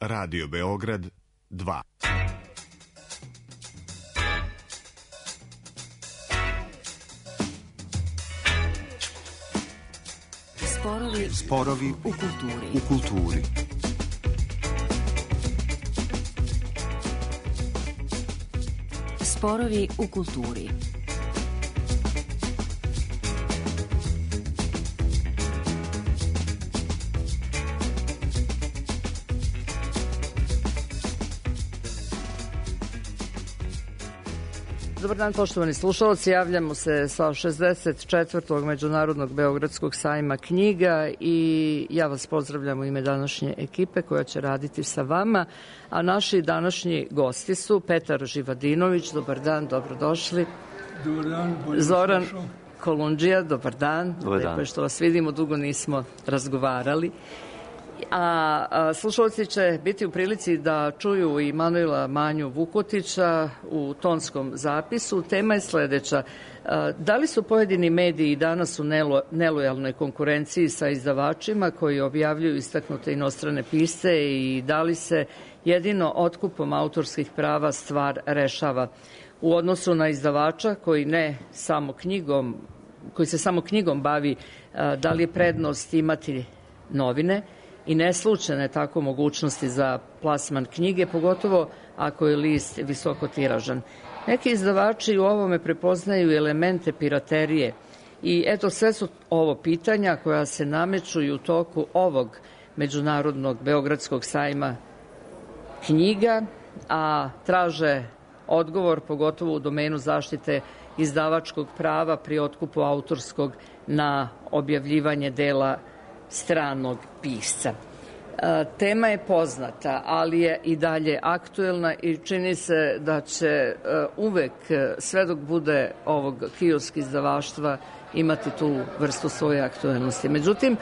Radio Beograd 2. Sporovi u kulturi. Sporovi u kulturi. Dobar dan, poštovani slušalci, javljamo se sa 64. Međunarodnog Beogradskog sajma knjiga i ja vas pozdravljam u ime današnje ekipe koja će raditi sa vama, a naši današnji gosti su Petar Živadinović, dobar dan, dobrodošli. Dobar dan, Zoran Kolundžija, dobar dan. Dobar dan. Lepo je što vas vidimo, dugo nismo razgovarali. A slušalci će biti u prilici da čuju i Manuela Manju Vukotića u tonskom zapisu. Tema je sledeća. Da li su pojedini mediji danas u nelojalnoj konkurenciji sa izdavačima koji objavljuju istaknute inostrane pisce i da li se jedino otkupom autorskih prava stvar rešava u odnosu na izdavača koji se samo knjigom bavi, da li je prednost imati novine i neslučajne tako mogućnosti za plasman knjige, pogotovo ako je list visoko tiražan. Neki izdavači u ovome prepoznaju elemente piraterije i eto sve su ovo pitanja koja se nameću i u toku ovog Međunarodnog Beogradskog sajma knjiga, a traže odgovor pogotovo u domenu zaštite izdavačkog prava pri otkupu autorskog na objavljivanje dela stranog pisca. Tema je poznata, ali je i dalje aktuelna i čini se da će uvek, sve dok bude ovog kiosk izdavaštva, imati tu vrstu svoje aktuelnosti. Međutim,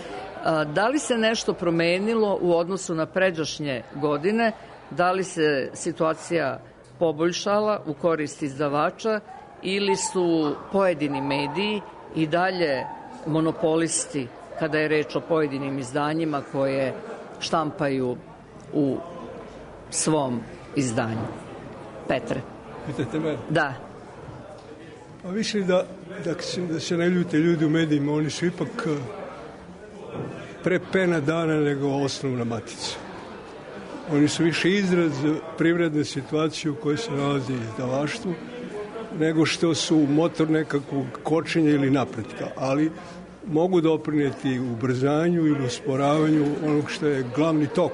da li se nešto promenilo u odnosu na pređašnje godine? Da li se situacija poboljšala u korist izdavača ili su pojedini mediji i dalje monopolisti kada je reč o pojedinim izdanjima koje štampaju u svom izdanju? Petre. Pitate me? Da. Pa više da se ne ljute ljudi u medijima, oni su ipak pre pena dana nego osnovna matica. Oni su više izraz privredne situacije u kojoj se nalazi izdavaštvo nego što su motor nekakvog kočenja ili napretka, ali mogu doprineti ubrzanju ili usporavanju onog što je glavni tok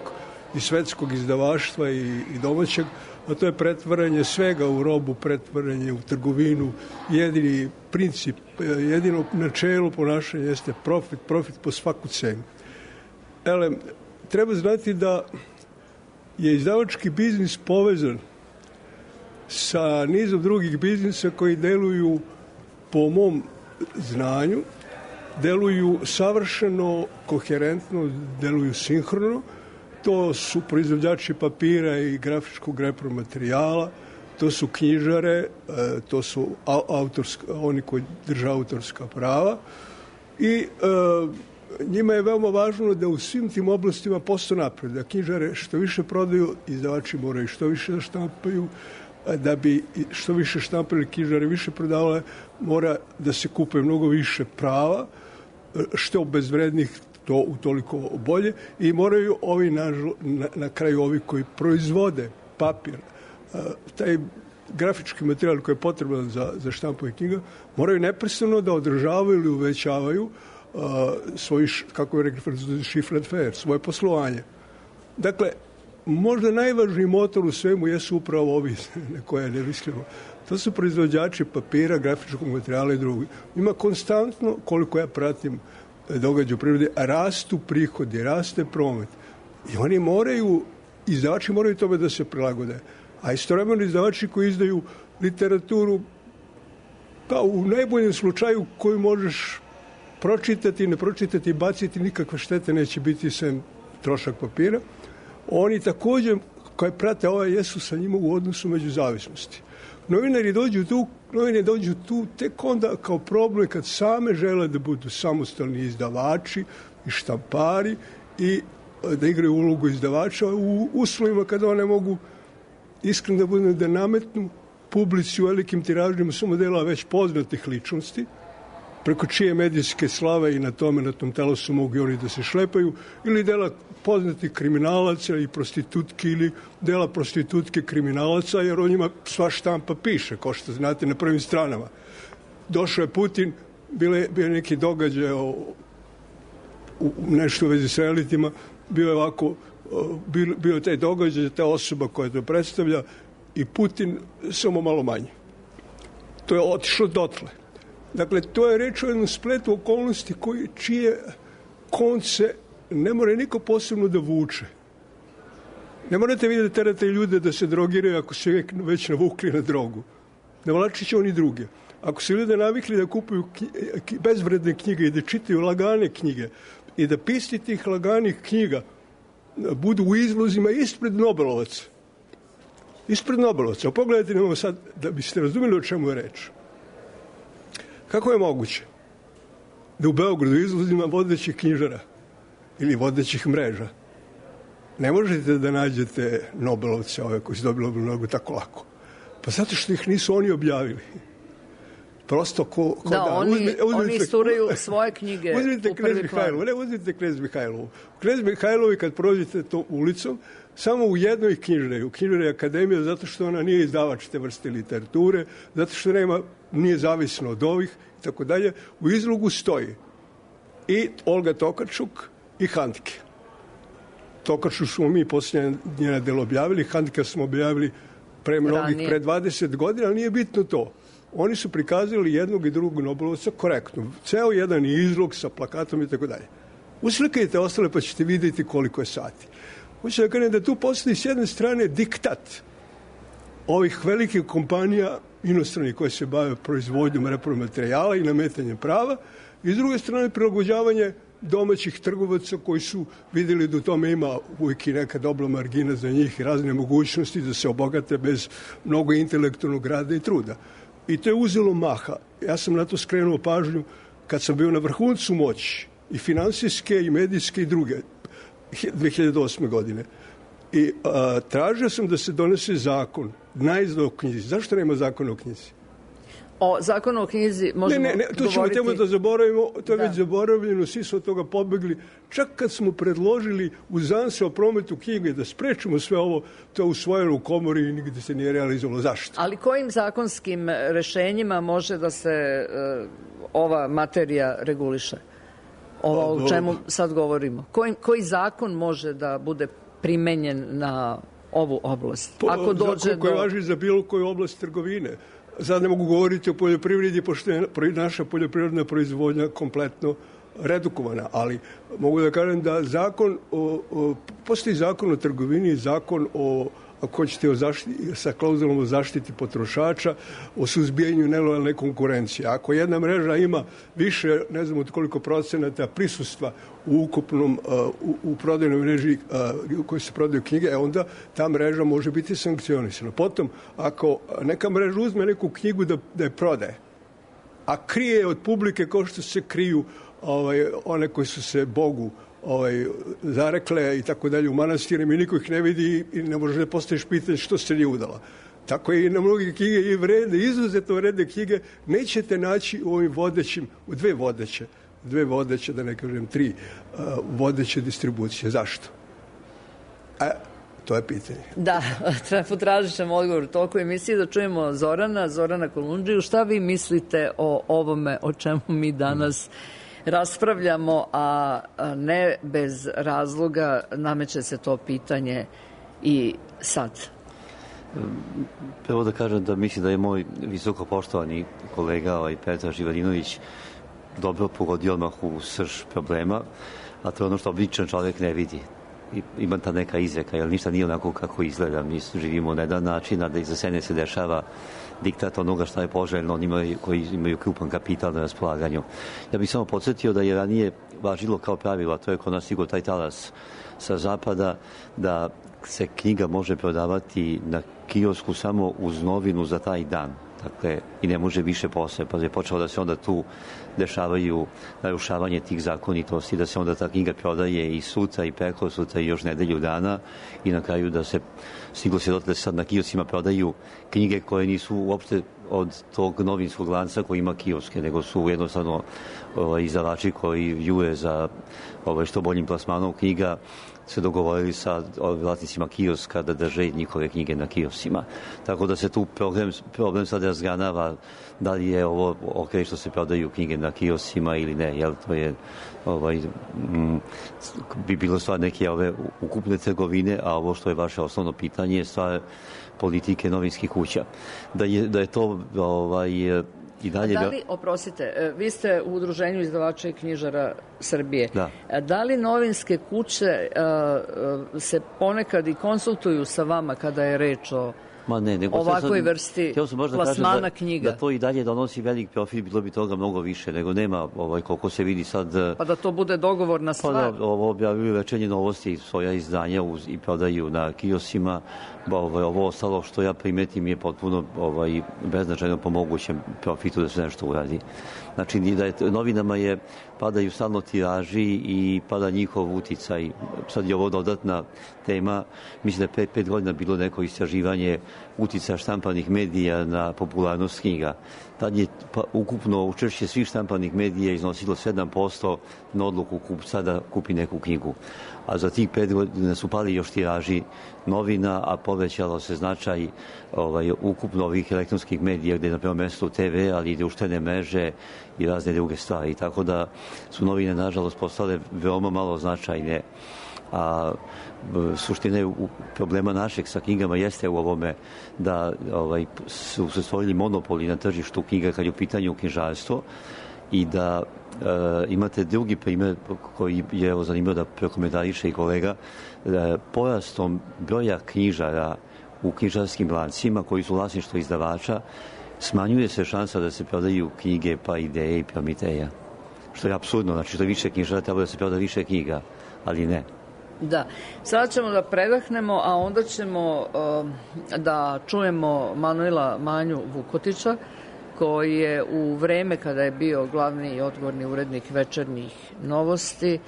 i svetskog izdavaštva i domaćeg, a to je pretvaranje svega u robu, pretvaranje u trgovinu. Jedini princip, jedino načelo ponašanja jeste profit po svaku cenu. Treba znati da je izdavački biznis povezan sa nizom drugih biznisa koji deluju, po mom znanju, deluju savršeno koherentno, deluju sinhrono. To su proizvođači papira i grafičkog repromaterijala, to su knjižare, to su oni koji drže autorska prava i njima je veoma važno da u svim tim oblastima postoje napred. Da knjižare što više prodaju, izdavači moraju što više da štampaju, da bi što više štampali knjižare više prodavale, mora da se kupe mnogo više prava, što bezvrednih, to utoliko bolje, i moraju ovi na kraju ovi koji proizvode papir, taj grafički materijal koji je potreban za štampanje knjiga, moraju neprestano da održavaju ili uvećavaju svoj, kako je rekli chiffre d'affaires, svoje poslovanje. Dakle, možda najvažniji motor u svemu jesu upravo ovi na koje ne mislimo. To su proizvođači papira, grafičkog materijala i drugi. Ima konstantno, koliko ja pratim događaj u prirodi, rastu prihodi, raste promet. I oni moraju, izdavači moraju tome da se prilagode. A istovremeno izdavači koji izdaju literaturu, pa u najboljem slučaju koju možeš pročitati, ne pročitati, baciti, nikakve štete neće biti sem trošak papira. Oni također, koji prate jesu sa njima u odnosu među zavisnosti. Novinari dođu tu tek onda kao problem kad same žele da budu samostalni izdavači i štampari i da igraju ulogu izdavača u uslovima kada one mogu iskreno da budem da nametnu publici u velikim tiražima samo dela već poznatih ličnosti, preko čije medijske slave i na tom telosu mogu i oni da se šlepaju, ili dela poznatih kriminalaca i prostitutki, ili dela prostitutke kriminalaca, jer o njima sva štampa piše, kao što znate, na prvim stranama. Došao je Putin, bio neki događaj nešto u vezi sa elitima, bio je taj događaj, ta osoba koja to predstavlja, i Putin samo malo manje. To je otišlo dotle. Dakle, to je reč o jednom spletu okolnosti čije konce ne mora niko posebno da vuče. Ne morate vi da terate ljude da se drogiraju ako se već navukli na drogu. Ne vlačit će oni druge. Ako se ljude navikli da kupuju bezvredne knjige i da čitaju lagane knjige i da pisci tih laganih knjiga budu u izlozima ispred Nobelovaca. Ispred Nobelovaca. Pogledajte nam sad da biste razumeli o čemu je reč. Kako je moguće da u Beogradu izlozima vodećih knjižara ili vodećih mreža ne možete da nađete Nobelovce, ove koji su dobili Nobelovu nagradu, tako lako? Pa zato što ih nisu oni objavili. Prosto oni isturaju svoje knjige u prvi plan. Uzmite Knez Mihajlovu. Knez Mihajlovi kad prođete to ulicom, samo u jednoj knjižari, u knjižari Akademija, zato što ona nije izdavač te vrste literature, zato što nije zavisno od ovih i tako dalje, u izlogu stoji i Olga Tokarčuk i Handke. Tokarčuk smo mi posljednje njena delo objavili, Handke smo objavili pre 20 godina, ali nije bitno to. Oni su prikazali jednog i drugog Nobelovca korektno. Ceo jedan izlog sa plakatom i tako dalje. Uslikajte ostale pa ćete vidjeti koliko je sati. Hoću da kažem da tu postoji s jedne strane diktat ovih velikih kompanija inostranih koje se bave proizvodnjom repromaterijala i nametanjem prava i s druge strane prilagođavanje domaćih trgovaca koji su vidjeli da u tome ima uvijek i neka dobra margina za njih i razne mogućnosti da se obogate bez mnogo intelektualnog rada i truda. I to je uzelo maha. Ja sam na to skrenuo pažnju kad sam bio na vrhuncu moći i finansijske i medijske i druge 2008. godine. I tražio sam da se donese zakon najzda o knjizi. Zašto nema zakona o knjizi? O zakonu o knjizi možemo govoriti... Tu ćemo temu da zaboravimo, to je već zaboravljeno, svi su od toga pobegli. Čak kad smo predložili u ZANSE o prometu knjige da sprečimo sve ovo, to je usvojeno u komori i nigde se nije realizovalo. Zašto? Ali kojim zakonskim rešenjima može da se ova materija reguliše? Ovo o čemu sad govorimo. Koji zakon može da bude primenjen na ovu oblast? Ako dođe koji važi za bilo koju oblast trgovine. Sad ne mogu govoriti o poljoprivredi, pošto je naša poljoprivredna proizvodnja kompletno redukovana, ali mogu da kažem da postoji zakon o trgovini, zakon ako hoćete sa klauzulom o zaštiti potrošača, o suzbijanju nelojalne konkurencije. Ako jedna mreža ima više, ne znam od koliko procenata prisustva u ukupnom, u prodajnoj mreži u kojoj se prodaju knjige, onda ta mreža može biti sankcionisana. Potom, ako neka mreža uzme neku knjigu da je prodaje, a krije od publike kao što se kriju one koji su se Bogu zarekle i tako dalje u manastirima i niko ih ne vidi i ne može da postaviš pitanje što se nije udala. Tako je i na mnogi knjige i vredne, izuzetno vredne knjige nećete naći u ovim vodećim, u dve vodeće, da ne kažem 3 vodeće distribucije. Zašto? To je pitanje. Da, potražit ćemo odgovor u toku emisije da čujemo Zorana Kolundžiju. Šta vi mislite o ovome o čemu mi danas raspravljamo, a ne bez razloga nameće se to pitanje i sad? Prvo da kažem da mislim da je moj visoko poštovani kolega Petar Živadinović dobro pogodio odmah u srž problema, a to je ono što običan čovjek ne vidi. Ima ta neka izreka, jer ništa nije onako kako izgleda. Mi živimo na jedan način, a da iza sene se dešava diktat onoga šta je poželjno onima koji imaju krupan kapital na raspolaganju. Ja bih samo podsjetio da je ranije važilo kao pravilo, a to je kod nas stigao taj talas sa zapada, da se knjiga može prodavati na kiosku samo uz novinu za taj dan. dakle, i ne može više posle, pa je počelo da se onda tu dešavaju narušavanje tih zakonitosti, da se onda ta knjiga prodaje i sutra i preko sutra i još nedelju dana i na kraju da se stiglo se da se sad na kiosima prodaju knjige koje nisu uopšte od tog novinskog lanca koji ima kioske, nego su jednostavno izdavači koji jure za što boljim plasmanom knjiga se dogovorili sa vlasnicima kioska da drže njihove knjige na kiosima. Tako da se tu problem sad razganava da li je ovo ok što se prodaju knjige na kiosima ili ne, jel to je bi bilo stvar neke ove ukupne trgovine, a ovo što je vaše osnovno pitanje je stvar politike novinskih kuća. Da je to i dalje... Da li, oprostite, vi ste u Udruženju izdavača i knjižara Srbije. Da. Da li novinske kuće se ponekad i konsultuju sa vama kada je reč o ovakvoj vrsti plasmana knjiga? Da to i dalje donosi velik profit, bilo bi toga mnogo više, nego nema koliko se vidi sad... Pa da to bude dogovorna stvar? Pa da, ovo objavljuju Večernje novosti, svoja izdanja i prodaju na kiosima. Ovo ostalo što ja primetim je potpuno beznačajno po mogućem profitu da se nešto uradi. Znači, da je novinama padaju stalno tiraži i pada njihov uticaj. Sad je ovo dodatna tema. Mislim da je 5 godina bilo neko istraživanje uticaja štampanih medija na popularnost knjiga. Tad je ukupno učešće svih štampanih medija iznosilo 7% na odluku kupca da kupi neku knjigu. A za tih 5 godina su pali još tiraži novina, a povećalo se značaj ukupno ovih elektronskih medija gde je na prvom mestu TV, ali i društvene mreže i razne druge stvari. Tako da su novine, nažalost, postale veoma malo značajne. A suština je problema našeg sa knjigama jeste u ovome da su se stvorili monopoli na tržištu knjiga kad je u pitanju knjižarstvo i da imate drugi primjer koji je zanimljivo da prokomentariše i kolega, porastom broja knjižara u knjižarskim lancima koji su vlasništvo izdavača smanjuje se šansa da se prodaju knjige pa ideje i Promiteja. Što je apsurdno, znači što više knjižara treba da se proda više knjiga, ali ne. Da, sada ćemo da predahnemo, a onda ćemo da čujemo Manuela Manju Vukotića, koji je u vreme kada je bio glavni i odgovorni urednik Večernjih novosti,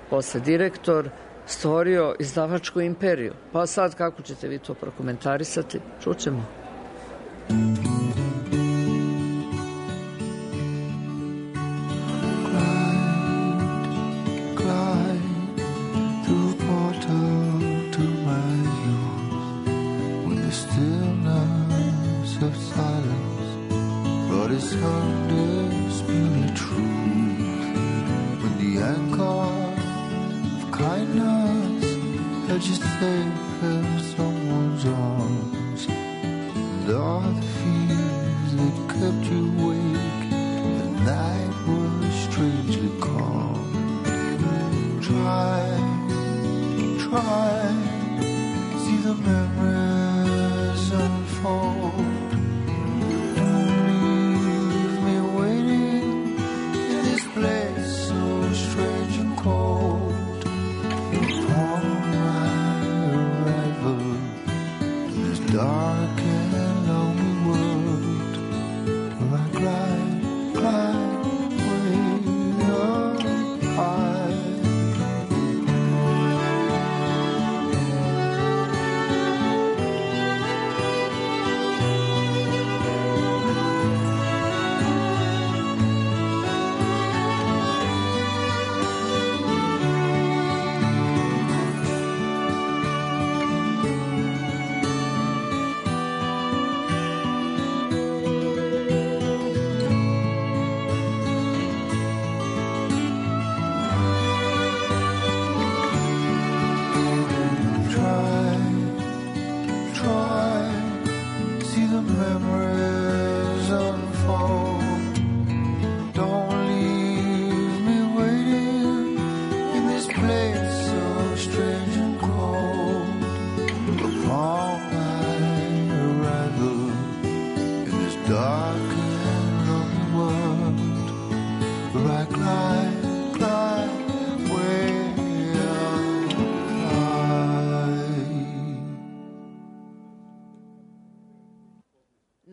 posle direktor, stvorio izdavačku imperiju. Pa sad kako ćete vi to prokomentarisati? Čućemo.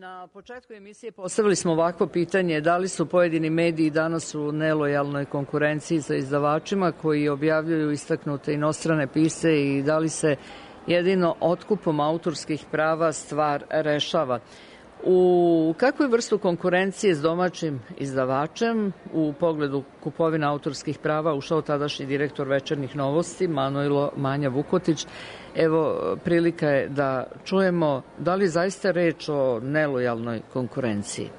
Na početku emisije postavili smo ovakvo pitanje: da li su pojedini mediji danas u nelojalnoj konkurenciji sa izdavačima koji objavljuju istaknute inostrane pisce i da li se jedino otkupom autorskih prava stvar rešava? U kakvu vrstu konkurencije s domaćim izdavačem u pogledu kupovina autorskih prava ušao tadašnji direktor Večernjih novosti Manojlo Manja Vukotić? Evo, prilika je da čujemo da li zaista reč o nelojalnoj konkurenciji.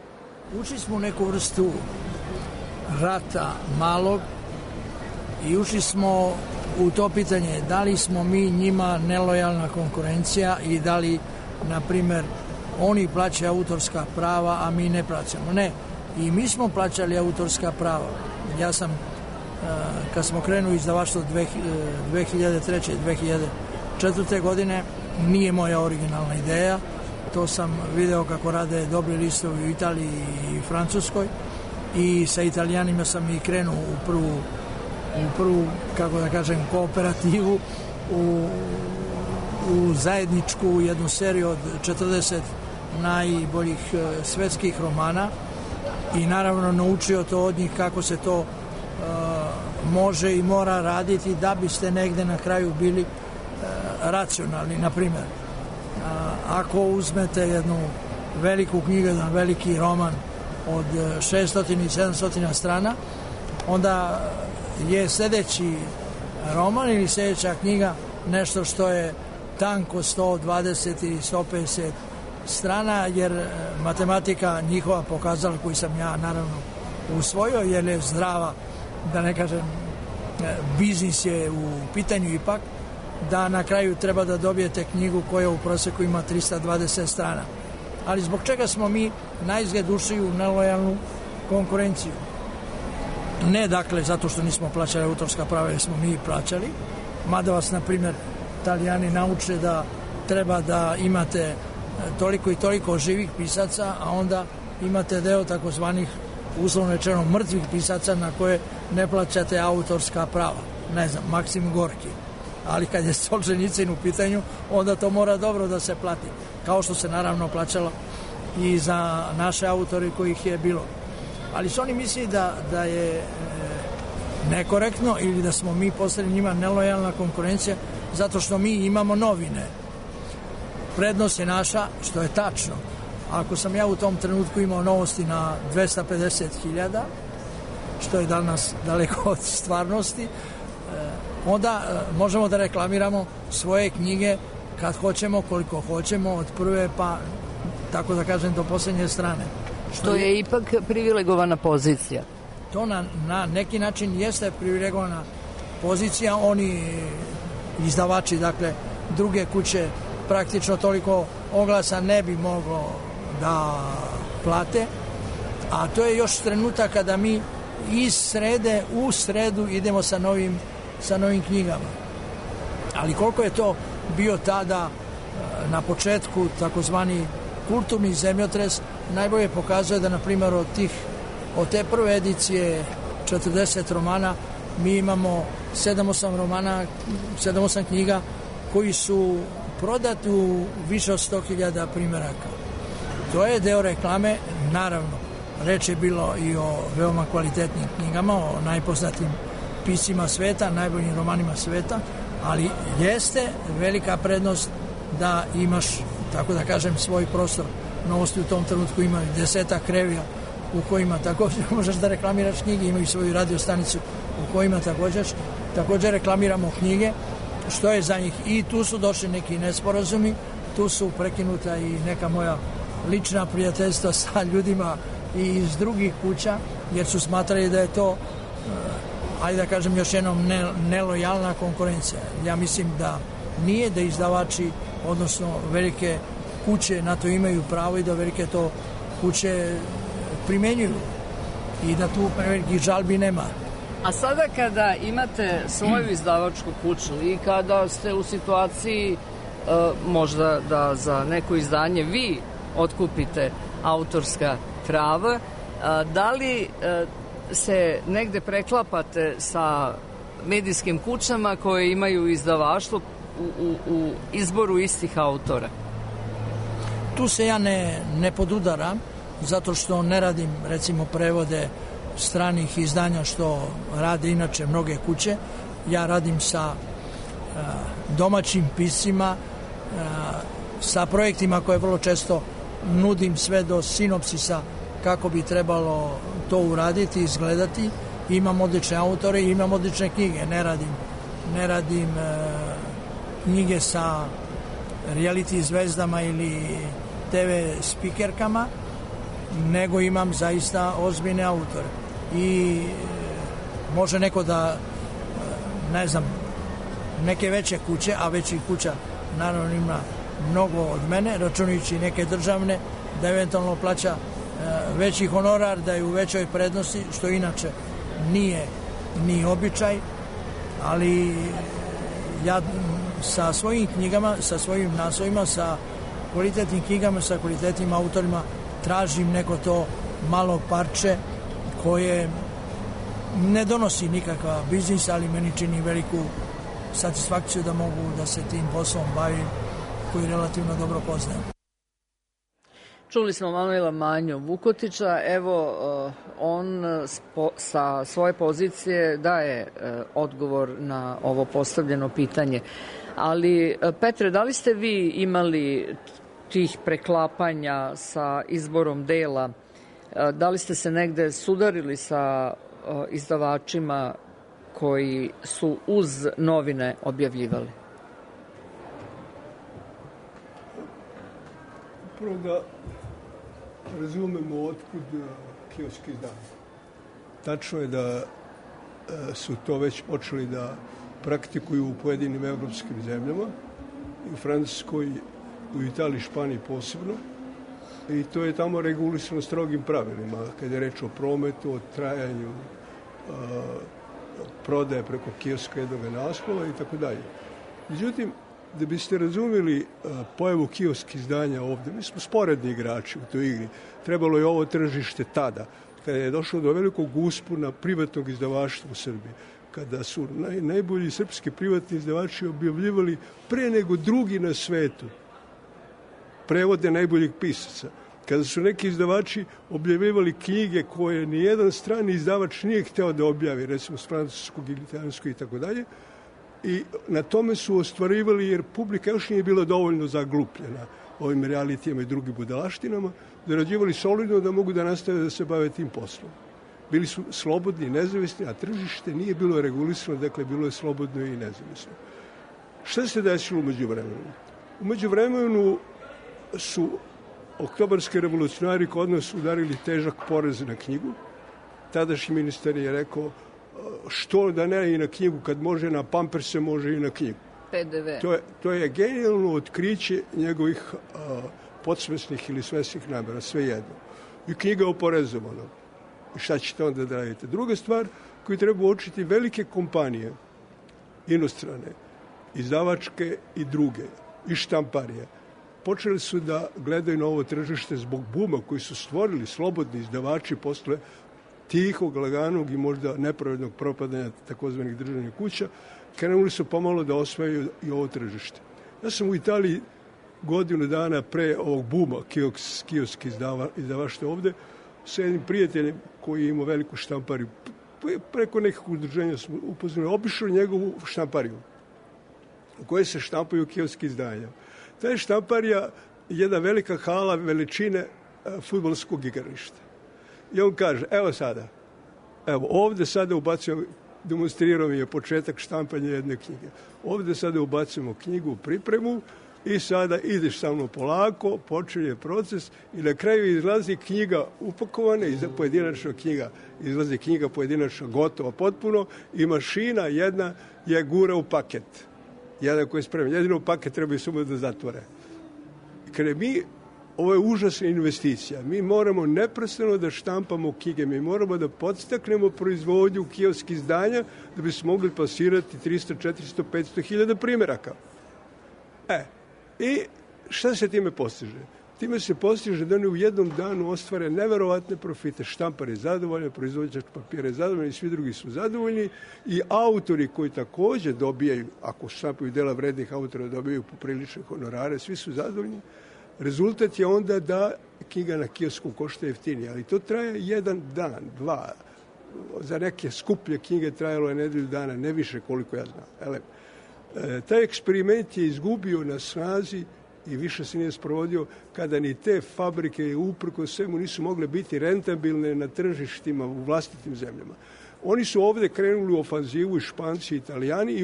Ušli smo u neku vrstu rata malog i ušli smo u to pitanje da li smo mi njima nelojalna konkurencija i da li, na primer, oni plaćaju autorska prava, a mi ne plaćamo. Ne, i mi smo plaćali autorska prava. Ja sam, kad smo krenuli izdavaštvo 2003. 2004. godine, nije moja originalna ideja. To sam video kako rade dobri listovi u Italiji i Francuskoj i sa Italijanima sam i krenuo u prvu, kako da kažem, kooperativu, u zajedničku jednu seriju od 40 najboljih svetskih romana i naravno naučio to od njih kako se to može i mora raditi da biste negde na kraju bili racionalni. Na primjer, ako uzmete jednu veliku knjigu, jedan veliki roman od 600 i 700 strana, onda je sljedeći roman ili sljedeća knjiga nešto što je tanko 120 ili 150 strana, jer matematika njihova pokazala, koju sam ja naravno usvojio, jer je zdrava, da ne kažem, biznis je u pitanju ipak, da na kraju treba da dobijete knjigu koja u proseku ima 320 strana. Ali zbog čega smo mi naizgled ušli u nelojalnu konkurenciju? Ne, dakle, zato što nismo plaćali autorska prava, jer smo mi plaćali, mada vas, na primjer, Italijani nauče da treba da imate toliko i toliko živih pisaca, a onda imate deo takozvanih, uslovno rečeno, mrtvih pisaca na koje ne plaćate autorska prava. Ne znam, Maksim Gorki. Ali kad je Solženicin u pitanju, onda to mora dobro da se plati. Kao što se naravno plaćalo i za naše autore kojih je bilo. Ali su oni misli da je nekorektno ili da smo mi postali njima nelojalna konkurencija zato što mi imamo novine. Prednost je naša, što je tačno. Ako sam ja u tom trenutku imao novosti na 250.000, što je danas daleko od stvarnosti, onda možemo da reklamiramo svoje knjige kad hoćemo, koliko hoćemo, od prve pa, tako da kažem, do posljednje strane. Što je ipak privilegovana pozicija. To na neki način jeste privilegovana pozicija. Oni izdavači, dakle, druge kuće praktično toliko oglasa ne bi moglo da plate, a to je još trenutak kada mi iz srede u sredu idemo sa novim knjigama. Ali koliko je to bio tada na početku takozvani kulturni zemljotres, najbolje pokazuje da, na primjer, od te prve edicije 40 romana mi imamo 7-8 knjiga koji su prodati u više od 100.000 primjeraka. To je deo reklame, naravno. Reč je bilo i o veoma kvalitetnim knjigama, o najpoznatim piscima sveta, najboljim romanima sveta, ali jeste velika prednost da imaš, tako da kažem, svoj prostor. Novosti u tom trenutku imaju 10 revija u kojima također možeš da reklamiraš knjige, imaju svoju radio stanicu u kojima također reklamiramo knjige, što je za njih. I tu su došli neki nesporazumi, tu su prekinuta i neka moja lična prijateljstva sa ljudima i iz drugih kuća, jer su smatrali da je to, ajde da kažem još jednom, nelojalna konkurencija. Ja mislim da nije, da izdavači, odnosno velike kuće na to imaju pravo i da velike to kuće primenjuju i da tu velikih žalbi nema. A sada kada imate svoju izdavačku kuću i kada ste u situaciji možda da za neko izdanje vi otkupite autorska prava, da li se negde preklapate sa medijskim kućama koje imaju izdavaštvo u izboru istih autora? tu se ja ne podudaram, zato što ne radim, recimo, prevode stranih izdanja što rade inače mnoge kuće. Ja radim sa domaćim piscima, sa projektima koje vrlo često nudim sve do sinopsisa kako bi trebalo to uraditi, izgledati. Imam odlične autore i imam odlične knjige. Ne radim knjige sa reality zvezdama ili TV spikerkama, nego imam zaista ozbiljne autore. I može neko da, ne znam, neke veće kuće, a većih kuća naravno ima mnogo od mene, računajući neke državne, da eventualno plaća veći honorar, da je u većoj prednosti, što inače nije običaj, ali ja sa svojim knjigama, sa svojim naslovima, sa kvalitetnim knjigama, sa kvalitetnim autorima tražim neko to malo parče koje ne donosi nikakav biznis, ali meni čini veliku satisfakciju da mogu da se tim poslom bavim koji relativno dobro poznajem. Čuli smo Manuela Manju Vukotića, evo on sa svoje pozicije daje odgovor na ovo postavljeno pitanje. Ali Petre, da li ste vi imali tih preklapanja sa izborom dela? Da li ste se negde sudarili sa izdavačima koji su uz novine objavljivali? Prvo da razumemo otkud kioski izdanja. Tačno je da su to već počeli da praktikuju u pojedinim evropskim zemljama, u Francuskoj, u Italiji, Španiji posebno. I to je tamo regulisano strogim pravilima, kada je reč o prometu, o trajanju prodaje preko kioska jednog naslova i tako dalje. Međutim, da biste razumeli pojavu kiosk izdanja ovde, mi smo sporedni igrači u toj igri. Trebalo je ovo tržište tada, kada je došlo do velikog uspona privatnog izdavaštva u Srbiji, kada su najbolji srpski privatni izdavači objavljivali pre nego drugi na svetu prevode najboljih pisaca. Kada su neki izdavači objavljivali knjige koje nijedan strani izdavač nije hteo da objavi, recimo s francuskog ili italijanskog i tako dalje, i na tome su ostvarivali, jer publika još nije bila dovoljno zaglupljena ovim realitijama i drugim budalaštinama, zarađivali solidno da mogu da nastave da se bave tim poslom. Bili su slobodni i nezavisni, a tržište nije bilo regulisano, dakle bilo je slobodno i nezavisno. Šta se desilo umeđu vremenu? Umeđu vremenu su oktobarski revolucionari kod nas udarili težak porez na knjigu. Tadašnji ministar je rekao što da ne i na knjigu, kad može na pamperse, može i na knjigu. PDV. To je genijalno otkriće njegovih podsvesnih ili svesnih namera, sve jedno. I knjiga oporezovana. I šta ćete onda da radite? Druga stvar koju treba uočiti, velike kompanije, inostrane, izdavačke i druge, i štamparije, počeli su da gledaju na ovo tržište zbog buma koji su stvorili slobodni izdavači posle tihog, laganog i možda nepravednog propadanja takozvanih državnih kuća, krenuli su pomalo da osvajaju i ovo tržište. Ja sam u Italiji godinu dana pre ovog buma kiosk izdavaštva ovde sa jednim prijateljem koji je imao veliku štampariju. Preko nekog udruženja smo upoznali, obišao njegovu štampariju u kojoj se štampaju kioski izdanja. Ta je štamparija jedna velika hala veličine fudbalskog igrališta. I on kaže, evo ovde sada ubacujemo, demonstrirao mi je početak štampanja jedne knjige. Ovde sada ubacujemo knjigu u pripremu i sada ideš sa mnom polako, počinje proces i na kraju izlazi knjiga upakovana, pojedinačna knjiga, izlazi knjiga pojedinačna gotova potpuno i mašina jedna je gura u paket. Jedan koji je spreman. Jedino paket treba i samo da zatvore. Kada ovo je užasna investicija. Mi moramo neprestano da štampamo knjige. Mi moramo da podstaknemo proizvodnju kiosk izdanja da bi smo mogli plasirati 300, 400, 500 hiljada primjeraka. I šta se time postiže? Time se postiže da oni u jednom danu ostvare neverovatne profite. Štampar je zadovoljan, proizvođač papira je zadovoljan i svi drugi su zadovoljni. I autori koji takođe dobijaju, ako štampaju dela vrednih autora, dobijaju poprilične honorare, svi su zadovoljni. Rezultat je onda da knjiga na kiosku košta jeftinije, ali to traje jedan dan, dva. Za neke skuplje knjige trajalo je nedelju dana, ne više koliko ja znam. Taj eksperiment je izgubio na snazi i više se nije sprovodio kada ni te fabrike uprko svemu nisu mogle biti rentabilne na tržištima u vlastitim zemljama. Oni su ovde krenuli u ofanzivu i Španci i Italijani i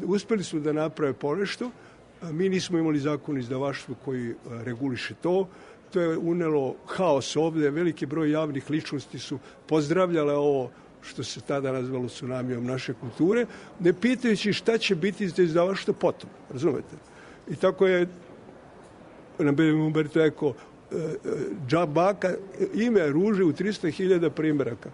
uspeli su da naprave ponešto. Mi nismo imali zakon o izdavaštvu koji reguliše to. To je unelo haos ovde. Veliki broj javnih ličnosti su pozdravljale ovo što se tada nazvalo tsunamijom naše kulture, ne pitajući šta će biti za izdavaštvo potom. Razumete? I tako je na Umberto Eco džabaka ime ruže u 300.000 primjeraka.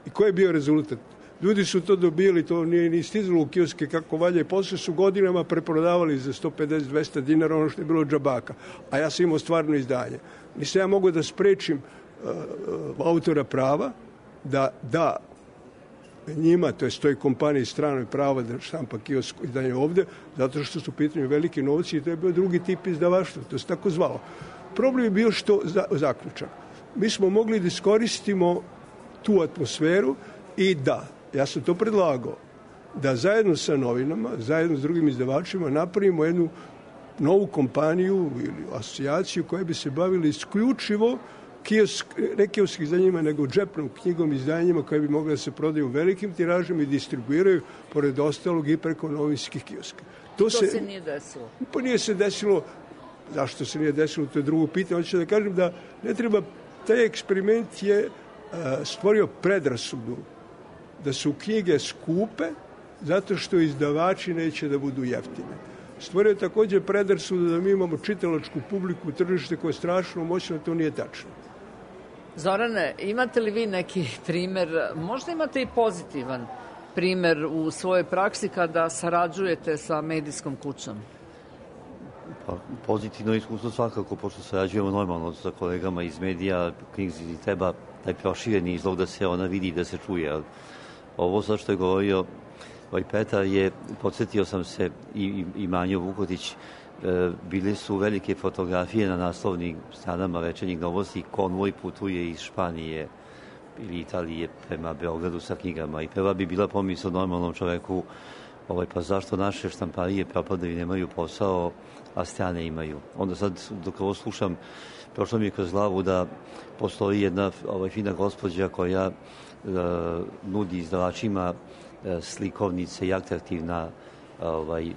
I koji je bio rezultat? Ljudi su to dobili, to nije ni stizalo u kioske kako valje, i posle su godinama preprodavali za 150-200 dinara ono što je bilo džabaka. A ja sam imao stvarno izdanje. Nisam ja mogu da sprečim autora prava da njima, to je toj kompaniji stranoj prava da štampa kiosko izdanje ovde, zato što su u pitanju veliki novci i to je bio drugi tip izdavaštva, to se tako zvalo. Problem je bio što zaključak. Mi smo mogli da iskoristimo tu atmosferu i ja sam to predlagao, da zajedno sa novinama, zajedno s drugim izdavačima napravimo jednu novu kompaniju ili asocijaciju koja bi se bavila isključivo ne kioskim izdanjima, nego džepnom knjigom izdanjima koje bi mogle da se prodaju u velikim tiražima i distribuiraju, pored ostalog, i preko novinskih kioska. To se nije desilo? Pa nije se desilo. Zašto se nije desilo, to je drugo pitanje. Hoću da kažem da ne treba, taj eksperiment je stvorio predrasudu da su knjige skupe zato što izdavači neće da budu jeftine. Stvorio je također predrasudu da mi imamo čitalačku publiku, tržište koje je strašno moćno, to nije tačno. Zorane, imate li vi neki primer, možda imate i pozitivan primer u svojoj praksi kada sarađujete sa medijskom kućom? Pa, pozitivno iskustvo svakako, pošto sarađujemo normalno sa kolegama iz medija, knjizi treba taj prošireni izlog da se ona vidi i da se čuje. Ovo sad što je govorio Petar je, podsjetio sam se i Manjo Vukotić, bile su velike fotografije na naslovnim stranama Večernjih novosti, konvoj putuje iz Španije ili Italije prema Beogradu sa knjigama i prva bi bila pomisao normalnom čoveku, pa zašto naše štamparije propadaju i nemaju posao, a strane imaju. Onda sad, dok ovo slušam, prošlo mi je kroz glavu da postoji jedna fina gospođa koja nudi izdavačima slikovnice i atraktivna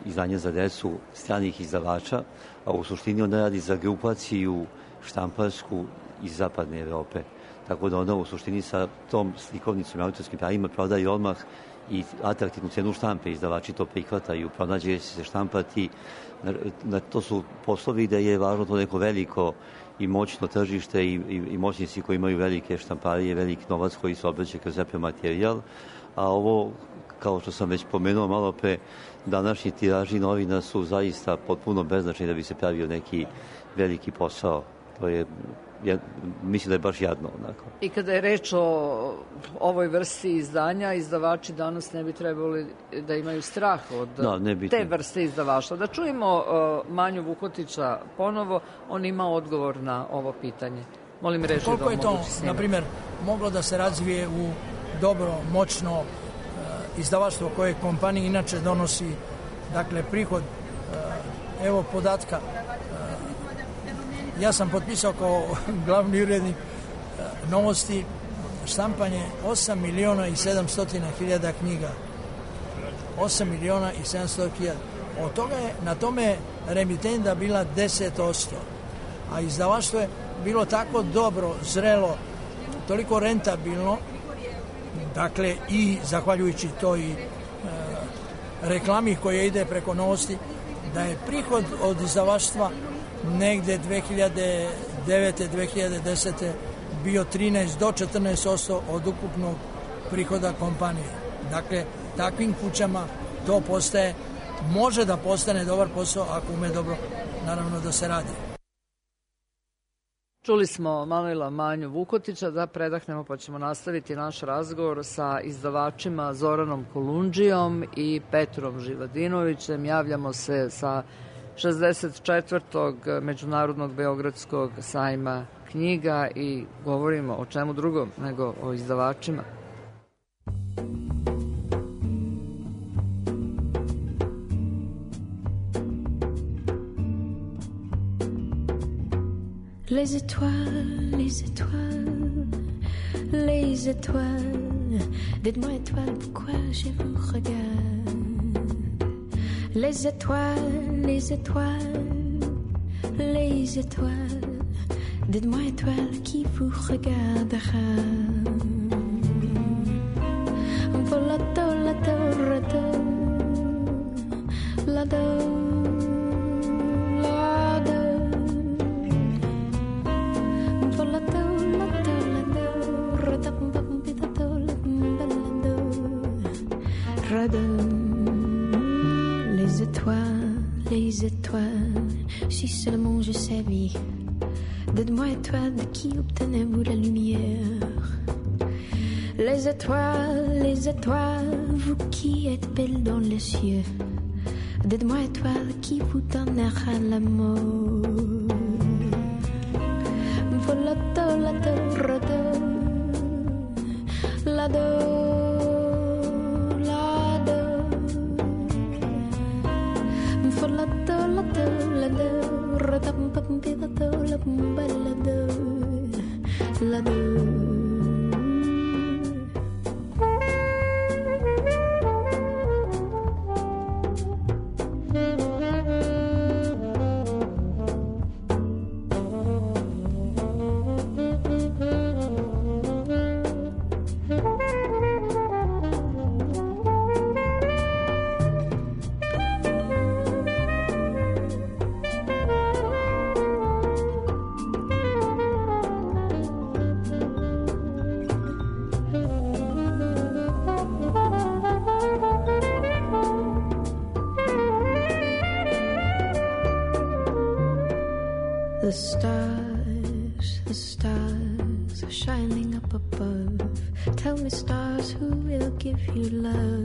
izdanja za decu stranih izdavača, a u suštini ona radi za grupaciju štamparsku iz zapadne Evrope. Tako da ona u suštini sa tom slikovnicom i autorskim pravima prodaje odmah i atraktivnu cenu štampe. Izdavači to prihvataju, pronađe se štampati. To su poslovi da je važno to neko veliko i moćno tržište i moćnici koji imaju velike štamparije, veliki novac koji se obraća kroz repromaterijal. A ovo, kao što sam već pomenuo malo pre, današnji tiraži novina su zaista potpuno beznačajni da bi se pravio neki veliki posao. To je, mislim da je baš jadno. Onako. I kada je reč o ovoj vrsti izdanja, izdavači danas ne bi trebali da imaju strah od te vrste izdavaštva. Da čujemo Manju Vukotića ponovo, on ima odgovor na ovo pitanje. Molim reći koliko je to, na primjer, moglo da se razvije u dobro, moćno izdavaštvo koje kompaniji inače donosi, dakle, prihod, evo podatka, ja sam potpisao kao glavni urednik novosti štampanje 8.700.000 knjiga. 8.700.000. Od toga je na tome remitenda bila 10%, a izdavaštvo je bilo tako dobro, zrelo, toliko rentabilno, dakle i zahvaljujući toj reklami koja ide preko novosti, da je prihod od izdavaštva negde 2009-2010 bio 13 do 14% od ukupnog prihoda kompanije. Dakle, takvim kućama to postaje, može da postane dobar posao ako ume dobro, naravno, da se radi. Čuli smo Manuela Manju Vukotića, da predahnemo pa ćemo nastaviti naš razgovor sa izdavačima Zoranom Kolundžijom i Petrom Živadinovićem. Javljamo se sa 64. Međunarodnog Beogradskog sajma knjiga i govorimo o čemu drugom nego o izdavačima. Les étoiles, les étoiles, les étoiles, dites-moi étoiles, pourquoi je vous regarde? Les étoiles, les étoiles, les étoiles, dites-moi étoiles qui vous regardera? Volato, lato, rato, lado, lado. Volato, lato, lado, rato, pitato, lado, rado. Les étoiles, si seulement je savais. Dites-moi étoiles, de qui obtenez-vous la lumière? Les étoiles, vous qui êtes belles dans les cieux. Dites-moi étoiles, qui vous donnera l'amour? Volato, lato, rado, lado. The stars are shining up above. Tell me, stars, who will give you love?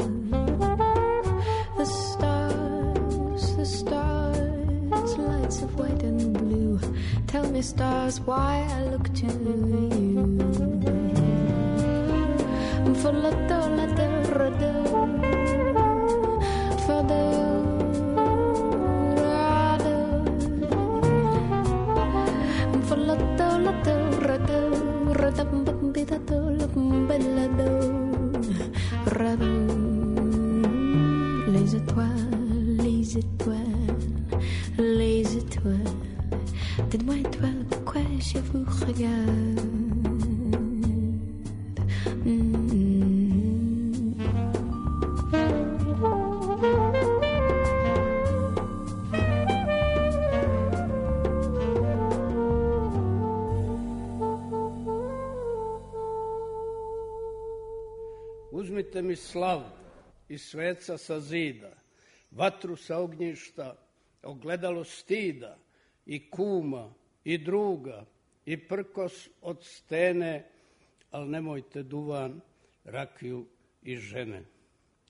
The stars, lights of white and blue. Tell me, stars, why I look to you. For la do, for the les étoiles, les étoiles, les étoiles. Dites-moi étoiles, pourquoi je vous regarde? Uzmite mi slavu i sveca sa zida, vatru sa ognjišta, ogledalo stida, i kuma, i druga, i prkos od stene, al nemojte duvan, rakiju i žene.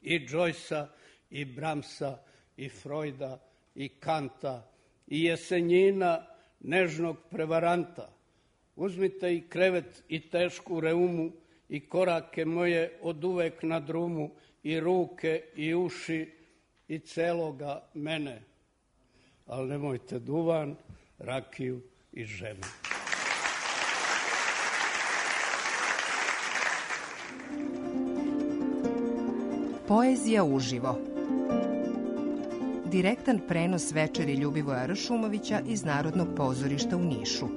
I Joycea, i Bramsa, i Freuda, i Kanta, i Jesenjina, nežnog prevaranta. Uzmite i krevet i tešku reumu, i korake moje od uvek na drumu, i ruke, i uši, i celoga mene. Ali nemojte duvan, rakiju i žene. Poezija uživo. Direktan prenos večeri Ljubivoja Ršumovića iz Narodnog pozorišta u Nišu.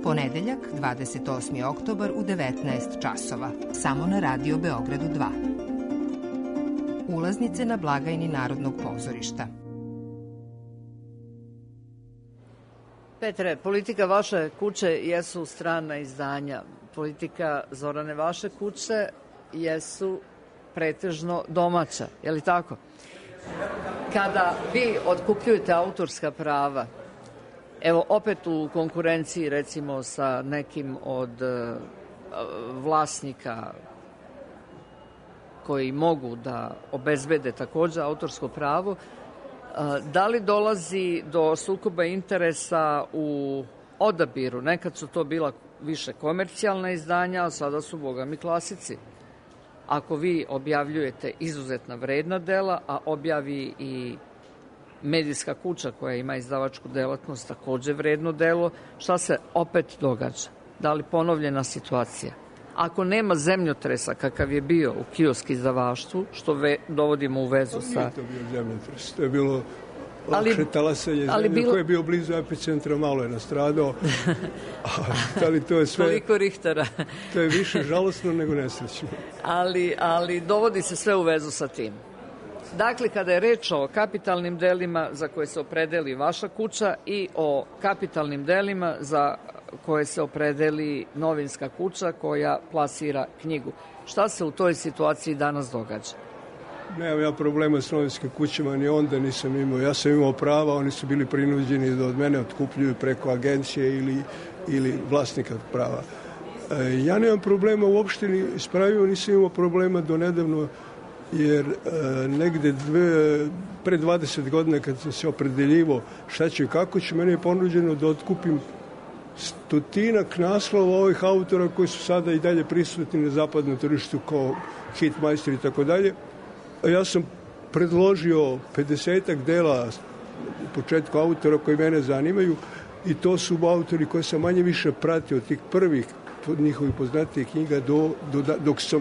Ponedeljak, 28. oktobar u 19 časova. Samo na Radio Beogradu 2. Ulaznice na blagajni Narodnog pozorišta. Petre, politika vaše kuće jesu strana izdanja. Politika Zorane vaše kuće jesu pretežno domaća, je li tako? Kada vi otkupljujete autorska prava, evo opet u konkurenciji recimo sa nekim od vlasnika koji mogu da obezbede takođe autorsko pravo, Da li dolazi do sukoba interesa u odabiru? Nekad su to bila više komercijalna izdanja, a sada su, boga mi, klasici. Ako vi objavljujete izuzetna vredna dela, a objavi i medijska kuća koja ima izdavačku delatnost takođe vredno delo, šta se opet događa? Da li ponovljena situacija? Ako nema zemljotresa kakav je bio u kiosk izdavaštvu, što dovodimo u vezu sa... Nije to bio zemljotres, to je bilo lakše talasanje zemlje koje je bio blizu epicentra, malo je nastradao. Ali to je sve... Toliko Richtera. To je više žalosno nego nesrećno. Ali dovodi se sve u vezu sa tim. Dakle, kada je reč o kapitalnim delima za koje se opredeli vaša kuća i o kapitalnim delima za koje se opredeli novinska kuća koja plasira knjigu. Šta se u toj situaciji danas događa? Nemam ja problema s novinskim kućama, ni onda nisam imao. Ja sam imao prava, oni su bili prinuđeni da od mene otkupljuju preko agencije ili vlasnika prava. Ja nemam problema uopšte ni s pravima, nisam imao problema do nedavno, jer negde pre 20 godina kad sam se opredeljivo šta ću i kako ću, meni je ponuđeno da otkupim 100 naslova ovih autora koji su sada i dalje prisutni na zapadnom tržištu kao Hitmeister i tako dalje. Ja sam predložio 50-ak dela u početku autora koji mene zanimaju i to su autori koje sam manje više pratio od tih prvih njihovih poznatijih knjiga dok sam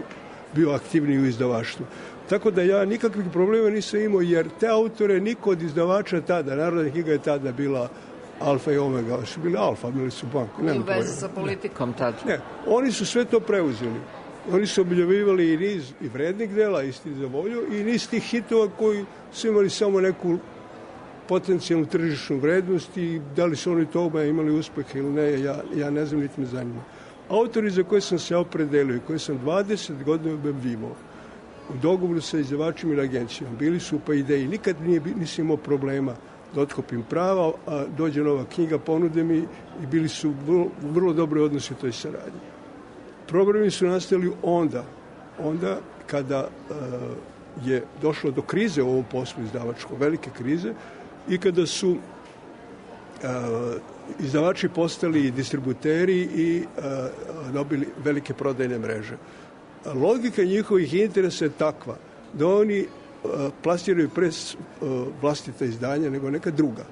bio aktivniji u izdavaštvu. Tako da ja nikakvih problema nisam imao, jer te autore niko od izdavača tada, Narodna knjiga je tada bila alfa i omega, su bili alfa, bili su banko. I u vezi sa politikom tada. Ne, oni su sve to preuzeli. Oni su objavljivali i niz i vrednih dela, isti za volju, i niz tih hitova koji su imali samo neku potencijalnu tržišnu vrednost i da li su oni toga imali uspeha ili ne, ja ne znam, niti me zanima. Autori za koje sam se opredelio i koje sam 20 godina objavljivao u dogovoru sa izdavačima ili agencijom, bili su pa ideji. Nikad nisam imao problema da otkupim prava, a dođe nova knjiga, ponude mi i bili su vrlo dobre odnosi u toj saradnji. Problemi su nastali onda kada je došlo do krize u ovom poslu izdavačko, velike krize, i kada su izdavači postali distributeri i dobili velike prodajne mreže. Logika njihovih interesa je takva da oni plasiraju pre vlastita izdanja nego neka druga.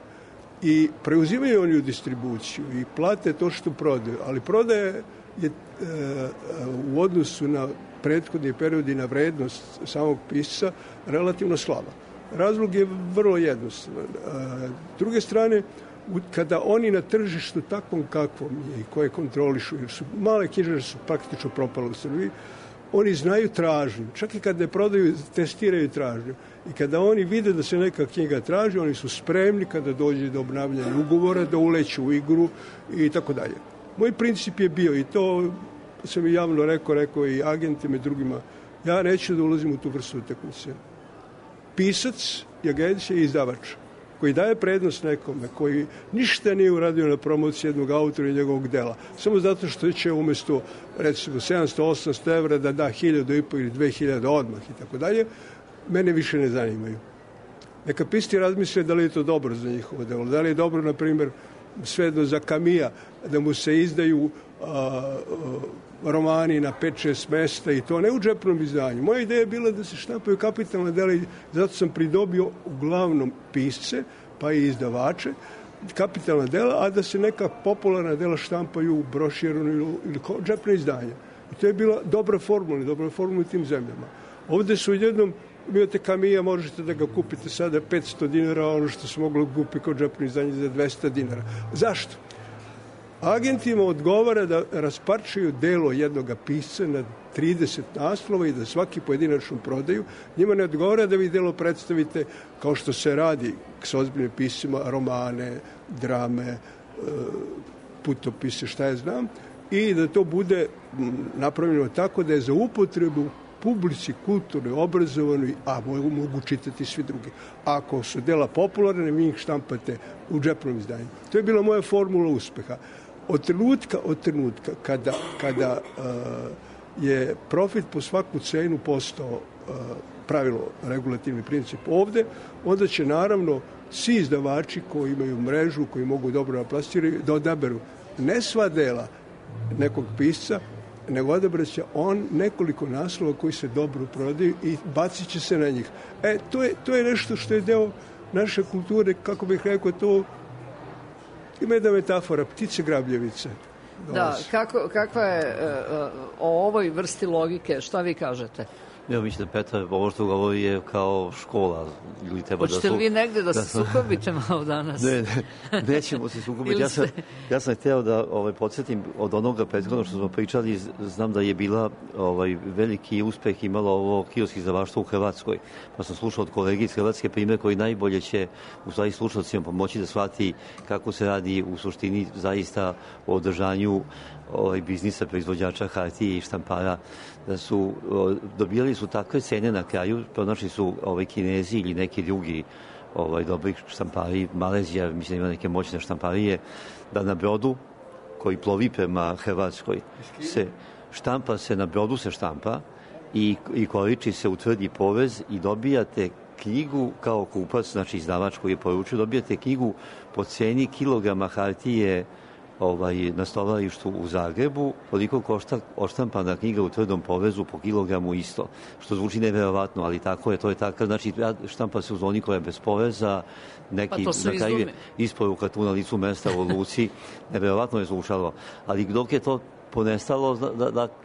I preuzimaju oni u distribuciju i plate to što prodaju, ali prodaje je u odnosu na prethodni period i na vrednost samog pisca relativno slaba. Razlog je vrlo jednostavan. S druge strane, kada oni na tržištu takvom kakvom je i koje kontrolišu, jer su male knjižare su praktično propale u Srbiji, oni znaju tražnju. Čak i kada ne prodaju, testiraju tražnju. I kada oni vide da se neka knjiga traži, oni su spremni kada dođe do obnavljanja ugovora, da uleću u igru i tako dalje. Moj princip je bio, i to sam i javno rekao i agentima i drugima, ja neću da ulazim u tu vrstu utakmice. Pisac i agencija i izdavač koji daje prednost nekome, koji ništa nije uradio na promociji jednog autora i njegovog dela, samo zato što će umesto, recimo, 700-800 evra da da 1.500 ili 2.000 odmah i tako dalje, mene više ne zanimaju. Neka pisci razmisle da li je to dobro za njihovo delo, da li je dobro, na primjer, svejedno za Kamija, da mu se izdaju romani na 5-6 mesta i to ne u džepnom izdanju. Moja ideja je bila da se štampaju kapitalne dela i zato sam pridobio uglavnom pisce, pa i izdavače, kapitalna dela, a da se neka popularna dela štampaju u broširanu ili džepne izdanja. I to je bila dobra formula u tim zemljama. Ovde su jednom, imate Kamija, možete da ga kupite sada 500 dinara, ono što se moglo kupiti kao džepno izdanje za 200 dinara. Zašto? Agentima odgovara da rasparčuju delo jednoga pisca na 30 naslova i da svaki pojedinačno prodaju. Njima ne odgovara da vi delo predstavite kao što se radi s ozbiljnim piscima, romane, drame, putopise, šta ja znam, i da to bude napravljeno tako da je za upotrebu publici, kulturnoj, obrazovanoj, a mogu čitati svi drugi. Ako su dela popularne, vi ih štampate u džepnom izdanju. To je bila moja formula uspeha. Od trenutka kada je profit po svaku cenu postao pravilo, regulativni princip ovde, onda će naravno svi izdavači koji imaju mrežu, koji mogu dobro naplastirati, da odaberu ne sva dela nekog pisca, nego odabraće on nekoliko naslova koji se dobro prodaju i bacit će se na njih. To je nešto što je deo naše kulture, kako bih rekao, to ima jedna metafora, ptice grabljevice. Da, kakva je o ovoj vrsti logike, šta vi kažete? Ja mislim da Petar, ovo što govori je kao škola. Hoćete li vi negde da se sukobite malo danas? Ne, nećemo se sukobiti. Ja sam hteo da podsjetim od onoga prethodno što smo pričali, znam da je bila veliki uspeh imalo ovo kiosk izdavaštvo u Hrvatskoj. Pa sam slušao od kolege iz Hrvatske primjer koji najbolje će u stvari slušalcima pomoći da shvati kako se radi u suštini zaista o održanju biznisa proizvođača hartije i štampara, da su dobijali su takve cene na kraju, pronašli su Kinezi ili neki drugi dobri štampari, Malezija, mislim ima neke moćne štamparije, da na brodu koji plovi prema Hrvatskoj se štampa se, na brodu se štampa i koriči se u tvrdi povez i dobijate knjigu kao kupac, znači izdavač koji je poručio, dobijate knjigu po ceni kilograma hartije na stovarištu u Zagrebu, koliko košta odštampana knjiga u tvrdom povezu po kilogramu isto, što zvuči neverovatno, ali tako je, to je tako, znači štampa se u zoni koja je bez poveza, neki na kraju je isporuka tu na licu mesta u luci, neverovatno je zvučalo, ali dok je to ponestalo,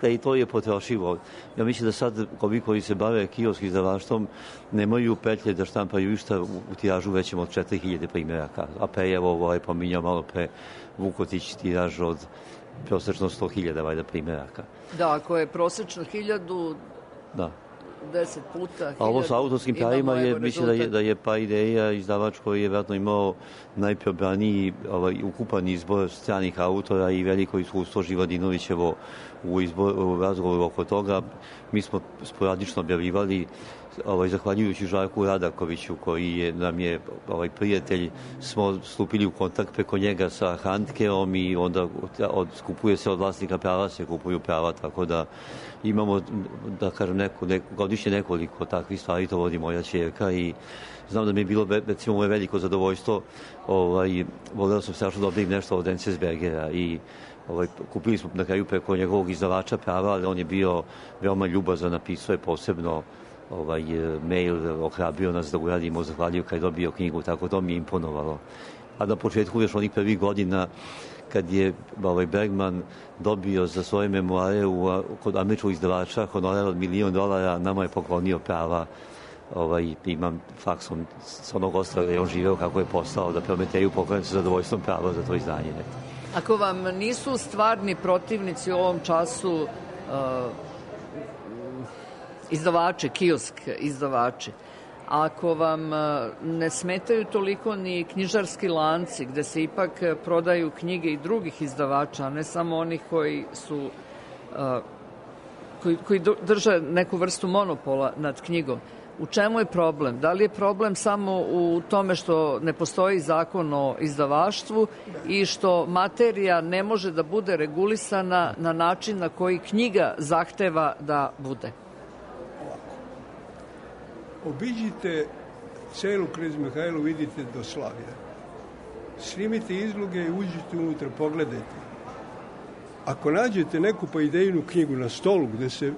da i to je potrošivo. Ja mislim da sad ovi koji se bave kiosk izdavaštvom nemaju petlje da štampaju išta u tiražu većem od 4000 primjeraka. A Pejevo pominjao malo pre Vukotić tiraž od prosečno 100.000 primjeraka. Da, ako je prosečno 1000, da. 10 puta 1000. A ovo sa autorskim pravima je, mislim da je pa ideja izdavač koji je vjerojatno imao najprobraniji ukupan izbor stranih autora i veliko iskustvo Živadinovićevo u razgovoru oko toga. Mi smo sporadično objavljivali, zahvaljujući Žarku Radakoviću, koji nam je prijatelj, smo stupili u kontakt preko njega sa Handkeom i onda skupuje se od vlasnika prava, se kupuju prava, tako da imamo, da kažem, godišnje nekoliko takvih stvari, to vodi moja ćerka i znam da mi je bilo, recimo, moje veliko zadovoljstvo, voleo sam strašno dobiti nešto od Enzensbergera i kupili smo na kraju preko njegovog izdavača prava, ali on je bio veoma ljubazan, napisao je posebno mail, ohrabrio nas da uradimo, zahvaljuju kad je dobio knjigu, tako to mi je imponovalo. A na početku još onih prvih godina kad je Bergman dobio za svoje memoare kod američkog izdavača honorar od $1 milion, nama je poklonio prava. Imam faksom s onog ostrava da je on živeo kako je postao, da Prometeju poklonim sa zadovoljstvom prava za to izdanje. Ako vam nisu stvarni protivnici u ovom času izdavači, kiosk izdavači, ako vam ne smetaju toliko ni knjižarski lanci gde se ipak prodaju knjige i drugih izdavača, a ne samo onih koji su koji drže neku vrstu monopola nad knjigom, u čemu je problem? Da li je problem samo u tome što ne postoji zakon o izdavaštvu i što materija ne može da bude regulisana na način na koji knjiga zahteva da bude? Obiđite celu Knez Mihajlo, vidite do Slavija. Snimite izloge i uđite unutra, pogledajte. Ako nađete neku pa idejnu knjigu na stolu gde se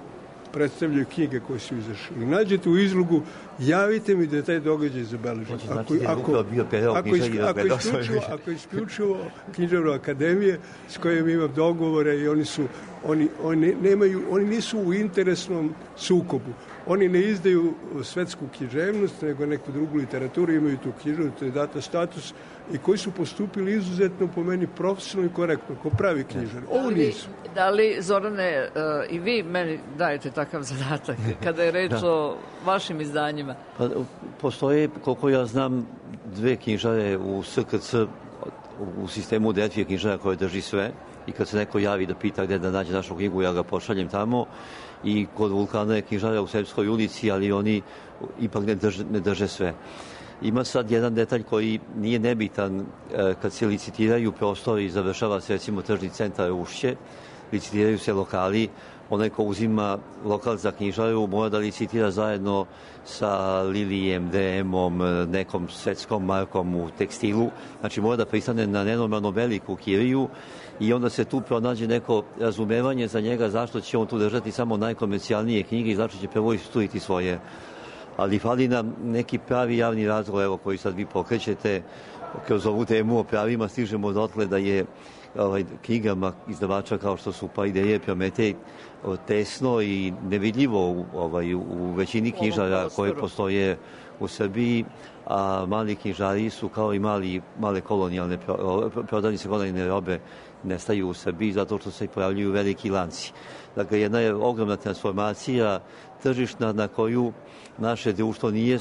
predstavljaju knjige koje su izašli, nađete u izlogu, javite mi da je taj događaj zabeležen. Ako isključivo Književne akademije s kojim imam dogovore i oni nisu u interesnom sukobu. Oni ne izdaju svetsku književnost, nego neku drugu literaturu, imaju tu književnost, to je data status, i koji su postupili izuzetno, po meni, profesionalno i korektno, ko pravi knjižar. Ovo nisu. Da li, Zorane, i vi meni dajete takav zadatak kada je reč o vašim izdanjima? Pa, postoje, koliko ja znam, 2 knjižare u SKC, u sistemu Detvije knjižara koje drži sve, i kad se neko javi da pita gde da nađe našu knjigu, ja ga pošaljem tamo, i kod Vulkana je knjižara u Srpskoj ulici, ali oni ipak ne drže sve. Ima sad jedan detalj koji nije nebitan kad se licitiraju prostori i završava se, recimo, tržni centar Ušće. licitiraju se lokali, onaj ko uzima lokal za knjižaru mora da licitira zajedno sa Lilijem, DM-om, nekom svetskom markom u tekstilu. Znači mora da pristane na nenormalno veliku kiriju i onda se tu pronađe neko razumevanje za njega zašto će on tu držati samo najkomercijalnije knjige i zašto će prvo istuiti svoje. Ali fali nam neki pravi javni razgovor, evo, koji sad vi pokrećete kroz ovu temu o pravima, stižemo dotle da je knjigama izdavača kao što su pa Ideje, Prometej tesno i nevidljivo u većini knjižara koje postoje u Srbiji, a mali knjižari su kao i male kolonijalne prodavnice kolonijalne robe nestaju u Srbiji zato što se pojavljuju veliki lanci. Dakle, jedna je ogromna transformacija tržišna na koju naše društvo nije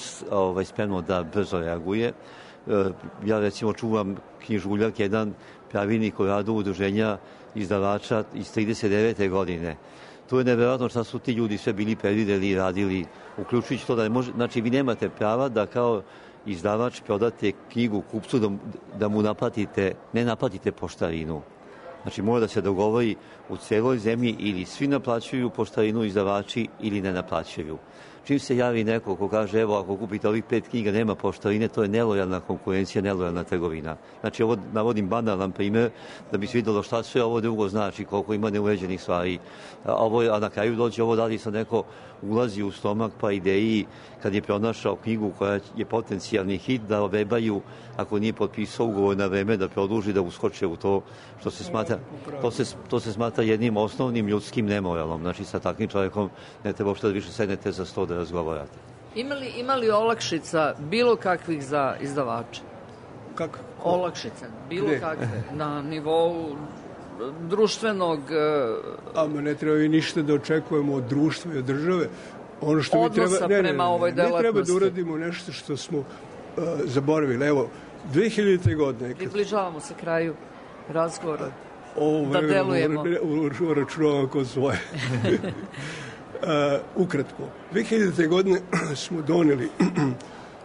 spremno da brzo reaguje. Ja recimo čuvam knjižuljak, jedan pravilnik o radu udruženja izdavača iz 39. godine. To je neverovatno šta su ti ljudi sve bili predvideli i radili, uključujući to da ne može, znači vi nemate prava da kao izdavač prodate knjigu kupcu da mu ne naplatite poštarinu. Znači mora da se dogovori u celoj zemlji ili svi naplaćuju poštarinu izdavači ili ne naplaćuju. Čim se javi neko ko kaže evo ako kupite ovih 5 knjiga nema poštarine, to je nelojalna konkurencija, nelojalna trgovina. Znači ovo navodim banalan primer da bi se vidjelo šta sve ovo drugo znači, koliko ima neuređenih stvari. A na kraju dođe ovo da li sad neko ulazi u stomak pa Ideji kad je pronašao knjigu koja je potencijalni hit da obebaju ako nije potpisao ugovor na vreme da produži da uskoče u to što se smatra, to se smatra jednim osnovnim ljudskim nemoralom. Znači sa takvim čovjekom ne treba uopšte da više sednete za sto da razgovarate. Ima li olakšica bilo kakvih za izdavače? Kako? Olakšice, bilo kakve, na nivou društvenog... Ama ne treba i ništa da očekujemo od društva i od države. Ono što odnosa prema ovoj delatnosti. Ne treba da uradimo nešto što smo zaboravili. Evo, 2000. godine... Približavamo se kraju razgovora. Da delujemo. Uračunavam ko svoje. Ukratko, 2000. godine smo doneli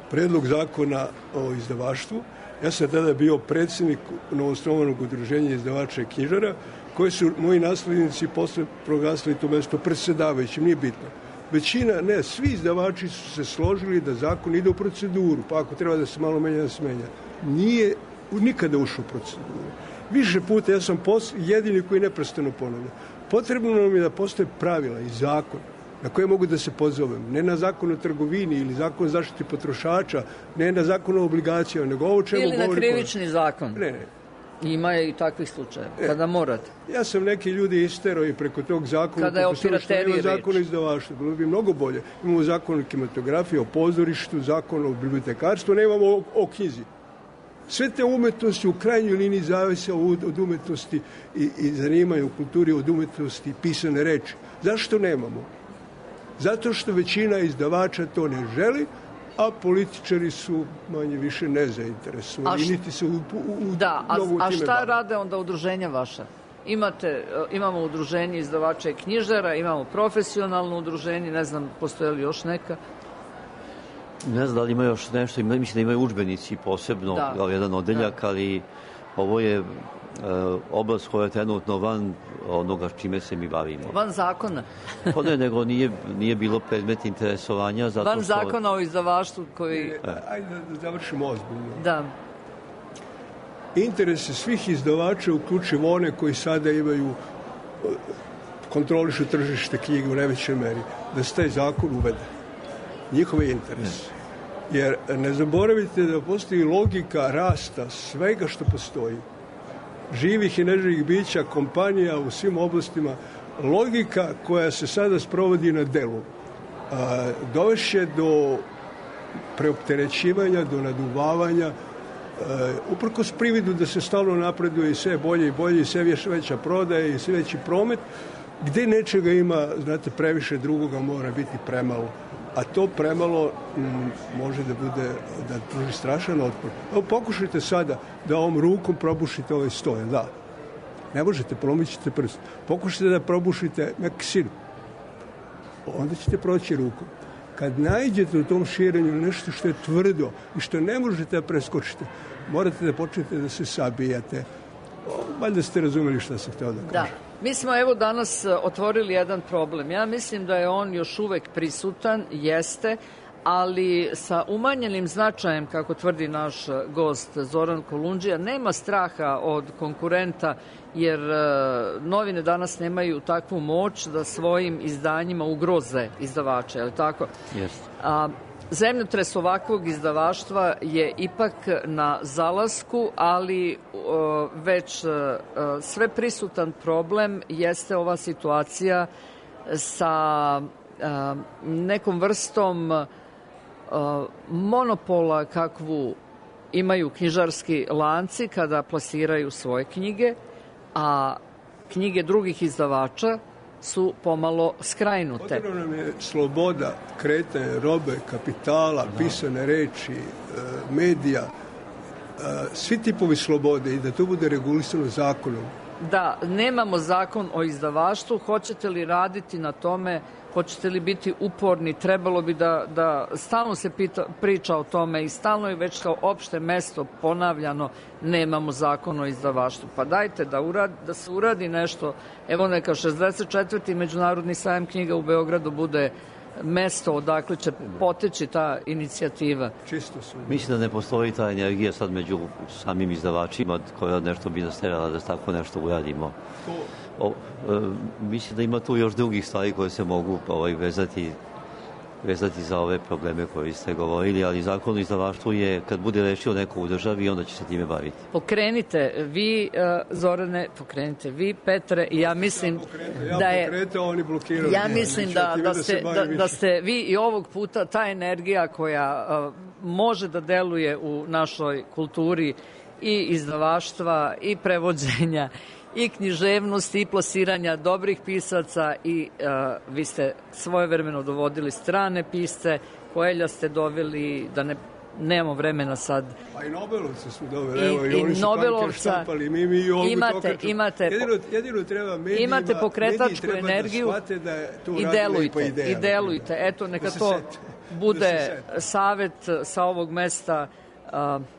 predlog zakona o izdavaštvu. Ja sam tada bio predsjednik novoosnovanog udruženja izdavača i knjižara, koji su moji naslednici posle proglasili to mesto predsedavajućim, nije bitno. Većina, ne, svi izdavači su se složili da zakon ide u proceduru, pa ako treba da se malo menja, da se menja. Nije nikada ušao u proceduru. Više puta ja sam jedini koji neprestano ponavlja. Potrebno nam je da postoje pravila i zakon na koje mogu da se pozovem. Ne na zakon o trgovini ili zakon o zaštiti potrošača, ne na zakon o obligacijama, nego ovo čemu govori... Ili na krivični zakon. Ne. Ima je i takvih slučajeva, kada morate. Ja sam neki ljudi isterao i preko tog zakona... Kada je o pirateriji reč. Zakon o izdavaštvu, bilo bi mnogo bolje. Imamo zakon o kinematografiji, o pozorištu, zakon o bibliotekarstvu, ne imamo o knjizi. Sve te umetnosti u krajnjoj liniji zavise od umetnosti i zanimaju u kulturi od umetnosti pisane reči. Zašto nemamo? Zato što većina izdavača to ne želi, a političari su manje više nezainteresovani. Niti se a šta rade onda udruženja vaša? Imamo udruženje izdavača i knjižara, imamo profesionalno udruženje, ne znam, postoje li još neka? Ne znam da li ima još nešto, mislim da imaju udžbenici posebno, kao jedan odeljak, ali ovo je oblast koja je trenutno van onoga čime se mi bavimo. Van zakona? Pa ne, nego nije bilo predmet interesovanja. Zato van zakona o izdavaštvu koji... Ajde da završimo ozbiljno. Da. Interese svih izdavača, uključivo one koji sada imaju kontrolišu tržište knjige u najvećoj meri, da se taj zakon uvede. Njihov je interes. Jer ne zaboravite da postoji logika rasta svega što postoji. Živih i neživih bića, kompanija u svim oblastima, logika koja se sada sprovodi na delu dovešće do preopterećivanja, do naduvavanja, uprkos prividu da se stalno napreduje i sve bolje i bolje i sve veća prodaja i sve veći promet, gde nečega ima, znate, previše, drugoga mora biti premalo. A to premalo može da bude, da pruži strašan otpor. Evo, pokušajte sada da ovom rukom probušite ovaj stoj, da. Ne možete, polomit ćete prst. Pokušajte da probušite meksinu. Onda ćete proći rukom. Kad nađete u tom širenju nešto što je tvrdo i što ne možete da preskočite, morate da počnete da se sabijate. Valjda ste razumeli šta sam htio da kažem. Mi smo evo danas otvorili jedan problem. Ja mislim da je on još uvek prisutan, jeste, ali sa umanjenim značajem, kako tvrdi naš gost Zoran Kolundžija, nema straha od konkurenta, jer novine danas nemaju takvu moć da svojim izdanjima ugroze izdavače, je li tako? Jeste. Zemljotres ovakvog izdavaštva je ipak na zalasku, ali već sve prisutan problem jeste ova situacija sa nekom vrstom monopola kakvu imaju knjižarski lanci kada plasiraju svoje knjige, a knjige drugih izdavača su pomalo skrajnute. Potrebno nam je sloboda kretanja robe, kapitala, pisane reči, medija, svi tipovi slobode i da to bude regulisano zakonom. Da, nemamo zakon o izdavaštvu, hoćete li raditi na tome, hoćete li biti uporni, trebalo bi da stalno se priča o tome i stalno je već kao opšte mesto ponavljano, nemamo zakon o izdavaštvu. Pa dajte da se uradi nešto, evo neka 64. Međunarodni sajam knjiga u Beogradu bude mesto odakle će poteći ta inicijativa. Čisto su. Mislim da ne postoji ta energija sad među samim izdavačima koja nešto bi nasterala da tako nešto uradimo. Mislim da ima tu još drugih stvari koje se mogu vezati za ove probleme koje ste govorili, ali zakon o izdavaštvu je, kad bude rešio neko u državi, onda će se time baviti. Pokrenite vi, Zorane, pokrenite vi, Petre, i ja mislim da je... Ja mislim da ste vi i ovog puta ta energija koja može da deluje u našoj kulturi i izdavaštva i prevođenja i književnosti i plasiranja dobrih pisaca i vi ste svojevremeno dovodili strane pisce, Koelja ste doveli, da nemamo vremena sad. Pa i Nobelovce su doveli, evo i oni su panke štampali, mi ovdje jedino treba medijima, imate pokretačku energiju i delujte. Eto, neka to bude savet sa ovog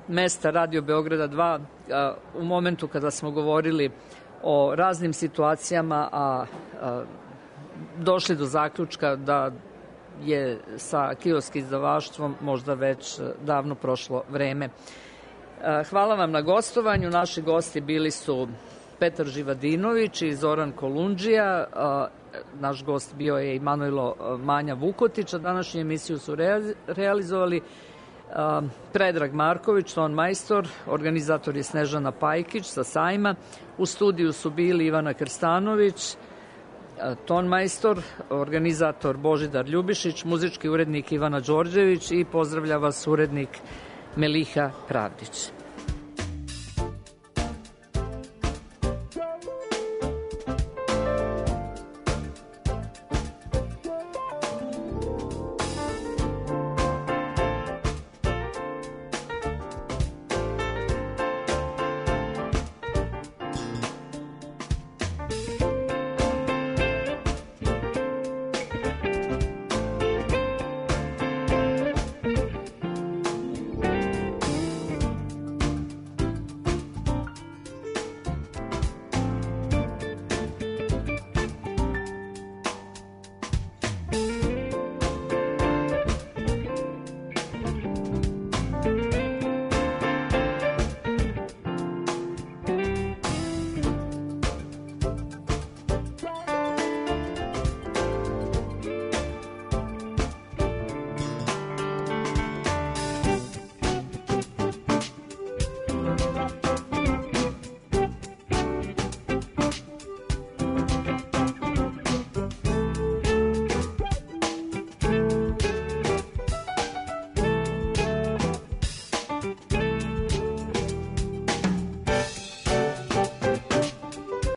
mesta Radio Beograda 2 u momentu kada smo govorili o raznim situacijama, a došli do zaključka da je sa kioskim izdavaštvom možda već davno prošlo vreme. Hvala vam na gostovanju. Naši gosti bili su Petar Živadinović i Zoran Kolundžija. Naš gost bio je i Manojlo Manja Vukotić. Današnju emisiju su realizovali Predrag Marković, ton majstor, organizator je Snežana Pajkić sa sajma. U studiju su bili Ivana Krstanović, ton majstor, organizator Božidar Ljubišić, muzički urednik Ivana Đorđević i pozdravlja vas urednik Meliha Pravdić.